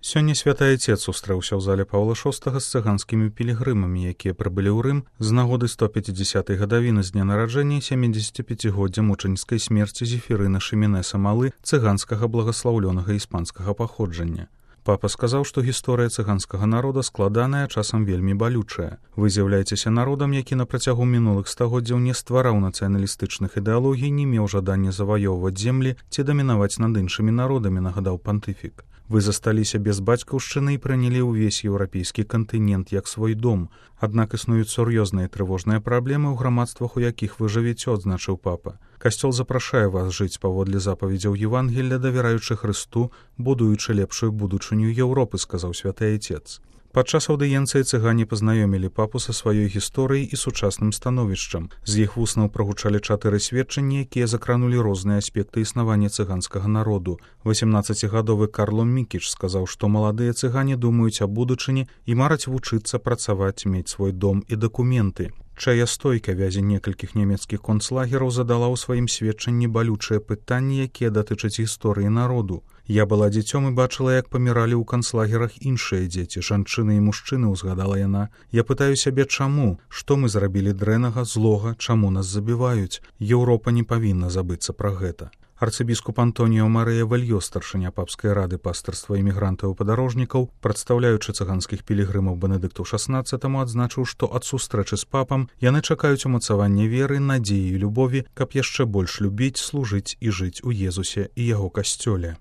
Сёння святы Айцец сустрэўся ў зале Паўла VI з цыганскімі пілігрымамі, якія прыбылі ў Рым з нагоды 150-й гадавіны з дня нараджэння 75-годдзя мучаніцкай смерці Зефірына Шыменеса Малы, цыганскага благаслаўлёнага іспанскага паходжання. Папа сказаў, што гісторыя цыганскага народа складаная, часам вельмі балючая. Вы з'яўляецеся народам, які на працягу мінулых стагоддзяў не ствараў нацыяналістычных ідэалогій, не меў жадання заваёўваць землі ці дамінаваць над іншымі народамі, нагадаў пантыфік. Вы засталіся без бацькаўшчыны і прынялі ўвесь еўрапейскі кантынент як свой дом. Аднак існуюць сур'ёзныя трывожныя праблемы ў грамадствах, у якіх вы жывеце, адзначыў папа. Касцёл запрашае вас жыць паводле запаведзяў Евангелля, давяраючы Хрысту, будуючы лепшую будучыню Еўропы, сказаў святы Айцец. Падчас аўдыенцыі цыгане пазнаёмілі папу са сваёй гісторыяй і сучасным становішчам. З іх вуснаў прагучалі 4 сведчанні, якія закранулі розныя аспекты існавання цыганскага народу. 18-гадовы Карло Мікіч сказаў, што маладыя цыгане думаюць аб будучыні і мараць вучыцца, працаваць, мець свой дом і дакументы. Чая стойка вязі некалькіх нямецкіх концлагераў задала ў сваім сведчанні балючыя пытанні, якія датычаць гісторыі народу. Я была дзіцём і бачыла, як паміралі ў канцлагерах іншыя дзеці, жанчыны і мужчыны, узгадала яна. Я пытаю сябе, чаму? Што мы зрабілі дрэннага, злога, чаму нас забіваюць? Еўропа не павінна забыцца пра гэта. Арцыбіскуп Антоніо Марыя Вальё, старшыня папскай рады пастырства імігрантаў і падарожнікаў, прадстаўляючы цыганскіх пілігрымаў Бенедыкту XVI, адзначыў, што ад сустрэчы з папам яны чакаюць умацавання веры, надзеі і любові, каб яшчэ больш любіць, служыць і жыць у Езусе і яго касцёле.